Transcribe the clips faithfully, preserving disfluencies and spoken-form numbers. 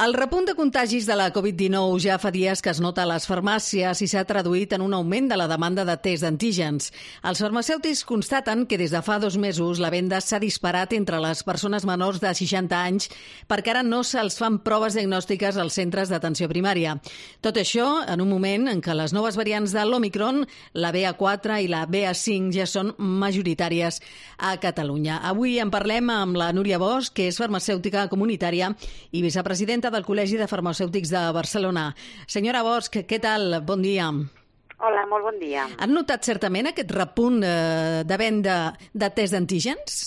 El repunt de contagis de la covid dinou ja fa dies que es nota a les farmàcies i s'ha traduït en un augment de la demanda de test d'antígens. Els farmacèutics constaten que des de fa dos mesos la venda s'ha disparat entre les persones menors de seixanta anys perquè ara no se'ls fan proves diagnòstiques als centres d'atenció primària. Tot això en un moment en què les noves variants de l'Omicron, la B A quatre i la B A cinc, ja són majoritàries a Catalunya. Avui en parlem amb la Núria Bosch, que és farmacèutica comunitària i vicepresidenta del Col·legi de Farmacèutics de Barcelona. Senyora Bosch, què tal? Bon dia. Hola, molt bon dia. Han notat certament aquest repunt eh, de venda de test d'antígens?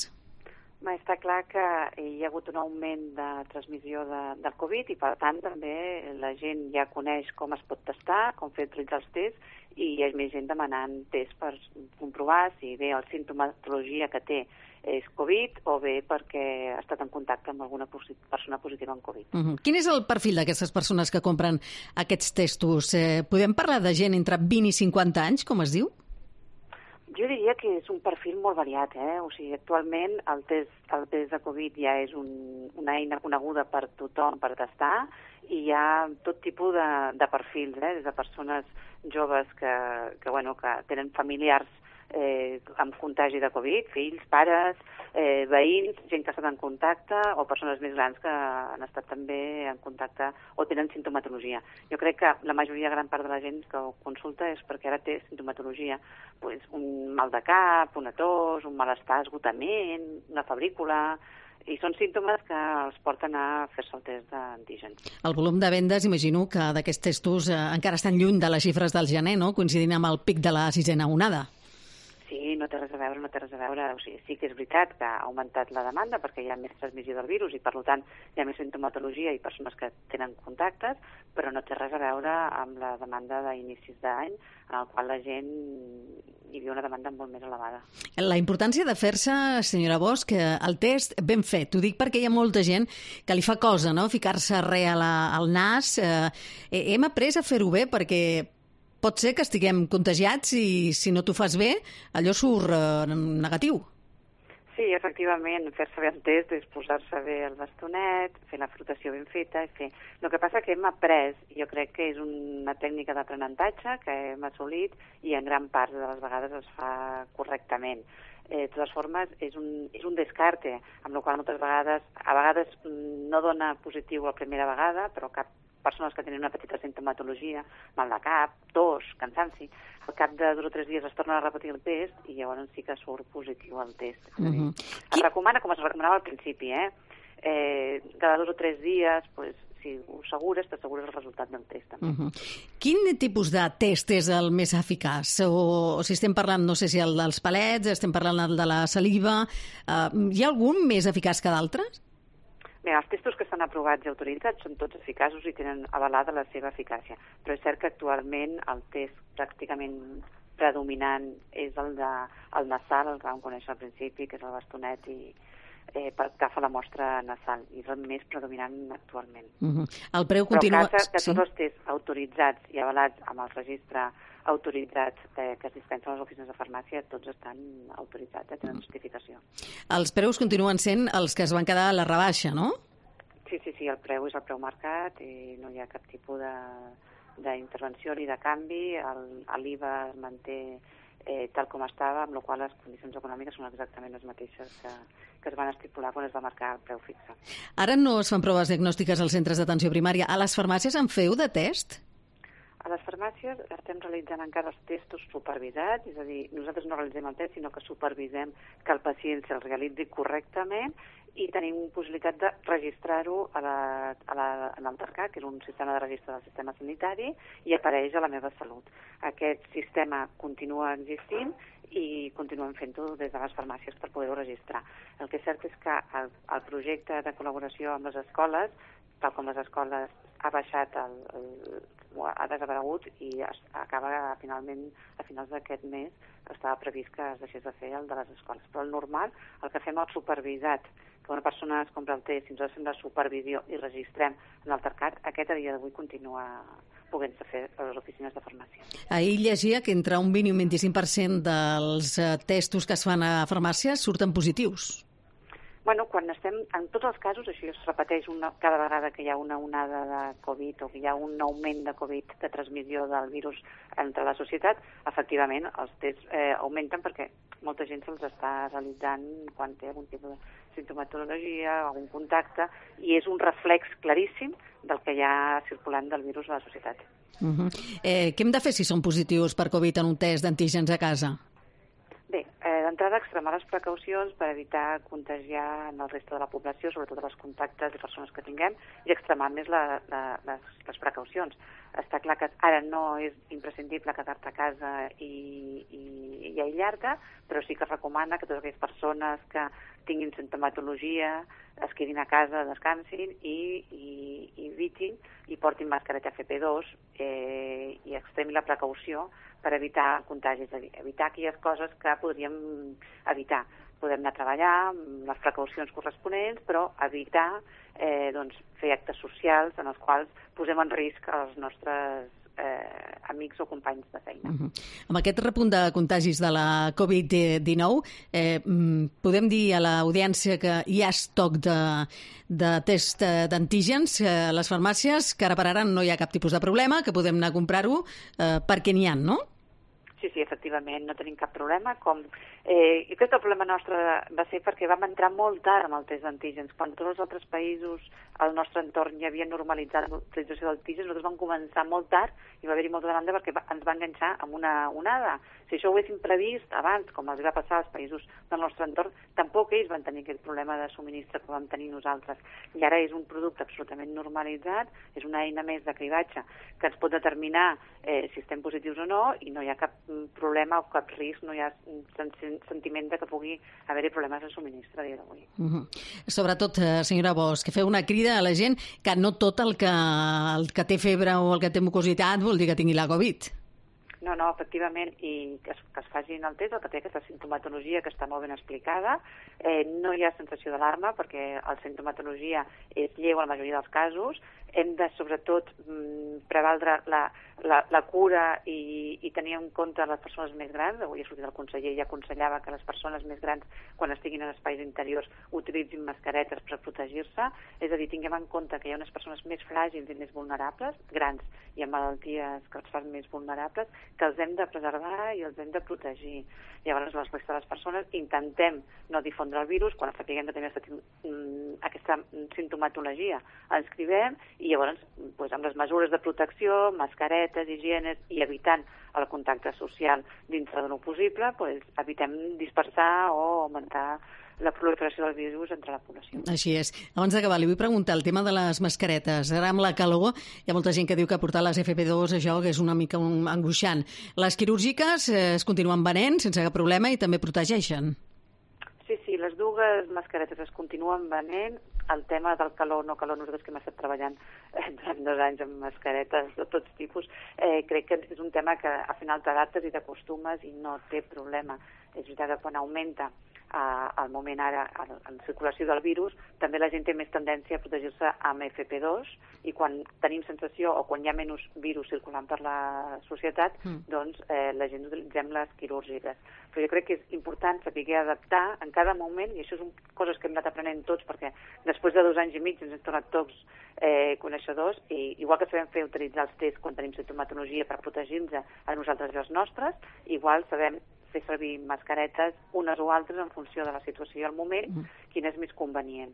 Ma, està clar que hi ha hagut un augment de transmissió de, del Covid i, per tant, també la gent ja coneix com es pot testar, com fer utilitzar els tests, i hi ha més gent demanant tests per comprovar si bé la sintomatologia que té és Covid o bé perquè ha estat en contacte amb alguna persona positiva en Covid. Uh-huh. Quin és el perfil d'aquestes persones que compren aquests testos? Eh, podem parlar de gent entre vint i cinquanta anys, com es diu? Jo diria que és un perfil molt variat, eh? O sigui, actualment el test, el test de Covid ja és un, una eina coneguda per tothom per testar i hi ha tot tipus de, de perfils, eh? Des de persones joves que, que, bueno, que tenen familiars eh, amb contagi de Covid, fills, pares, eh, veïns, gent que ha estat en contacte o persones més grans que han estat també en contacte o tenen sintomatologia. Jo crec que la majoria, gran part de la gent que ho consulta és perquè ara té sintomatologia, pues, un mal de cap, una tos, un malestar, esgotament, una febrícula, i són símptomes que els porten a fer-se el test d'antígens. El volum de vendes, imagino que d'aquests testos eh, encara estan lluny de les xifres del gener, no? Coincidint amb el pic de la sisena onada. Sí, no té res a veure, no té res a veure. O sigui, sí que és veritat que ha augmentat la demanda perquè hi ha més transmissió del virus i, per tant, hi ha més sintomatologia i persones que tenen contactes, però no té res a veure amb la demanda d'inicis d'any, en el qual la gent hi havia una demanda molt més elevada. La importància de fer-se, senyora Bosch, el test ben fet. Ho dic perquè hi ha molta gent que li fa cosa, no?, ficar-se res a la, al nas. Eh, hem après a fer-ho bé perquè pot ser que estiguem contagiats i si no t'ho fas bé, allò surt eh, negatiu. Sí, efectivament, fer-se bé el test és posar-se bé el bastonet, fer la frotació ben feta. I fer... El que passa que hem après, jo crec que és una tècnica d'aprenentatge que hem assolit i en gran part de les vegades es fa correctament. Eh, de totes formes, és un, és un descarte, amb la qual moltes vegades, a vegades no dona positiu la primera vegada, però cap persones que tenen una petita sintomatologia, mal de cap, tos, cansanci, al cap de dos o tres dies es torna a repetir el test i llavors sí que surt positiu el test. Uh -huh. Es recomana, com es recomanava al principi, eh? eh cada dos o tres dies, pues, si ho assegures, t'assegures el resultat del test. També. Uh -huh. Quin tipus de test és el més eficaç? O, o si estem parlant, no sé si el dels palets, estem parlant el de la saliva, uh, hi ha algun més eficaç que d'altres? Bé, els testos que estan aprovats i autoritzats són tots eficaços i tenen avalada la seva eficàcia, però és cert que actualment el test pràcticament predominant és el, de, el nasal, el que vam conèixer al principi, que és el bastonet i eh, per agafa la mostra nasal, i és el més predominant actualment. Uh-huh. El preu continua... Però en cas que sí. tots els tests autoritzats i avalats amb el registre autoritzats eh, que es dispensen a les oficines de farmàcia, tots estan autoritzats, eh, tenen justificació. Els preus continuen sent els que es van quedar a la rebaixa, no? Sí, sí, sí, el preu és el preu marcat i no hi ha cap tipus d'intervenció ni de canvi, l'I V A es manté eh, tal com estava, amb la qual les condicions econòmiques són exactament les mateixes que, que es van estipular quan es va marcar el preu fixe. Ara no es fan proves diagnòstiques als centres d'atenció primària. A les farmàcies en feu de test? A les farmàcies estem realitzant encara els testos supervisats, és a dir, nosaltres no realitzem el test, sinó que supervisem que el pacient se'l realitzi correctament i tenim possibilitat de registrar-ho a la, a la, en el TARCAT, que és un sistema de registre del sistema sanitari, i apareix a la meva salut. Aquest sistema continua existint i continuem fent-ho des de les farmàcies per poder-ho registrar. El que és cert és que el, el projecte de col·laboració amb les escoles, tal com les escoles ha baixat, el, el, ha desaparegut i es, acaba finalment a finals d'aquest mes estava previst que es deixés de fer el de les escoles. Però el normal, el que fem el supervisat, que una persona es compra el test i nosaltres fem la supervisió i registrem en el TARCAT, aquest a dia d'avui continua podent-se fer a les oficines de farmàcia. Ahir llegia que entre un vint i un vint-i-cinc per cent dels testos que es fan a farmàcies surten positius. Bueno, quan estem, en tots els casos, això es repeteix una, cada vegada que hi ha una onada de Covid o que hi ha un augment de Covid, de transmissió del virus entre la societat, efectivament els tests eh, augmenten perquè molta gent se'ls està realitzant quan té algun tipus de sintomatologia, algun contacte, i és un reflex claríssim del que hi ha circulant del virus a la societat. Uh-huh. eh, què hem de fer si són positius per Covid en un test d'antígens a casa? Bé, eh, d'entrada extremar les precaucions per evitar contagiar en el reste de la població, sobretot els contactes i persones que tinguem, i extremar més la, la, les, les precaucions. Està clar que ara no és imprescindible quedar-te a casa i, i, i aïllar-te, però sí que es recomana que totes aquelles persones que tinguin sintomatologia es quedin a casa, descansin i, i, i evitin i portin mascareta F P dos eh, i extremin la precaució per evitar contagis, evitar aquelles coses que podríem evitar. Podem anar a treballar amb les precaucions corresponents, però evitar eh, doncs, fer actes socials en els quals posem en risc els nostres eh, amics o companys de feina. Uh-huh. Amb aquest repunt de contagis de la Covid dinou, eh, podem dir a l'audiència que hi ha estoc de, de test d'antígens a les farmàcies, que ara per ara no hi ha cap tipus de problema, que podem anar a comprar-ho eh, perquè n'hi ha, no? Sí, sí, efectivament, no tenim cap problema. Com, eh, jo crec que el problema nostre va ser perquè vam entrar molt tard amb el test d'antígens. Quan tots els altres països al nostre entorn ja havien normalitzat l'utilització d'antígens, nosaltres vam començar molt tard i va haver-hi molta demanda perquè va, ens va enganxar amb una onada. Si això ho haguéssim previst abans, com els va passar als països del nostre entorn, tampoc ells van tenir aquest problema de subministre que vam tenir nosaltres. I ara és un producte absolutament normalitzat, és una eina més de cribatge que ens pot determinar eh, si estem positius o no, i no hi ha cap problema o cap risc, no hi ha sentiment de que pugui haver-hi problemes de subministre a dia d'avui. Uh-huh. Sobretot, senyora Bosch, que feu una crida a la gent que no tot el que, el que té febre o el que té mucositat vol dir que tingui la Covid. No, no, efectivament, i que es, que es facin el test, el que té aquesta sintomatologia que està molt ben explicada. Eh, no hi ha sensació d'alarma perquè la sintomatologia és lleu en la majoria dels casos. Hem de, sobretot, prevaldre la, la, la cura i, i tenir en compte les persones més grans. Avui ha sortit el conseller i aconsellava que les persones més grans, quan estiguin en espais interiors, utilitzin mascaretes per protegir-se. És a dir, tinguem en compte que hi ha unes persones més fràgils i més vulnerables, grans i amb malalties que els fan més vulnerables, que els hem de preservar i els hem de protegir. Llavors, les restes de les persones intentem no difondre el virus. Quan sapiguem que tenim aquesta sintomatologia, ens cribem i llavors, doncs, amb les mesures de protecció, mascaretes, higienes i evitant el contacte social dintre de lo possible, doncs, evitem dispersar o augmentar la proliferació del virus entre la població. Així és. Abans d'acabar, li vull preguntar el tema de les mascaretes. Ara amb la calor hi ha molta gent que diu que portar les F P dos això que és una mica un angoixant. Les quirúrgiques eh, es continuen venent sense cap problema i també protegeixen. Sí, sí, les dues mascaretes es continuen venent. El tema del calor, no calor, nosaltres que hem estat treballant eh, durant dos anys amb mascaretes de tots tipus, eh, crec que és un tema que al final t'adaptes i t'acostumes i no té problema. És veritat que quan augmenta al moment ara, en circulació del virus, també la gent té més tendència a protegir-se amb F P dos i quan tenim sensació o quan hi ha menys virus circulant per la societat, mm. doncs eh, la gent utilitzem les quirúrgiques. Però jo crec que és important saber adaptar en cada moment, i això són coses que hem anat aprenent tots, perquè després de dos anys i mig ens hem tornat tots eh, coneixedors, i igual que sabem fer utilitzar els tests quan tenim sintomatologia per protegir-nos a nosaltres i als nostres, igual sabem fer servir mascaretes unes o altres en funció de la situació i el moment, mm. quin és més convenient.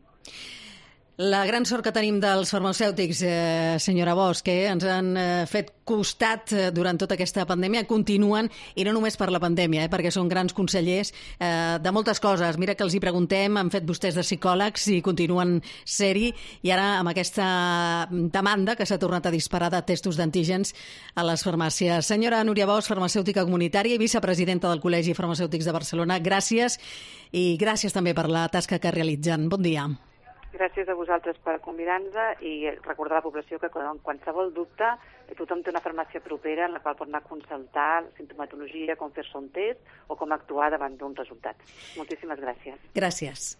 La gran sort que tenim dels farmacèutics, eh, senyora Bosch, que ens han eh, fet costat eh, durant tota aquesta pandèmia, continuen, i no només per la pandèmia, eh, perquè són grans consellers eh, de moltes coses. Mira que els hi preguntem, han fet vostès de psicòlegs i continuen ser-hi, i ara amb aquesta demanda que s'ha tornat a disparar de testos d'antígens a les farmàcies. Senyora Núria Bosch, farmacèutica comunitària i vicepresidenta del Col·legi Farmacèutics de Barcelona, gràcies, i gràcies també per la tasca que realitzen. Bon dia. Gràcies a vosaltres per convidar-nos i recordar a la població que en qualsevol dubte tothom té una farmàcia propera en la qual pot anar a consultar sintomatologia, com fer-se un test o com actuar davant d'un resultat. Moltíssimes gràcies. Gràcies.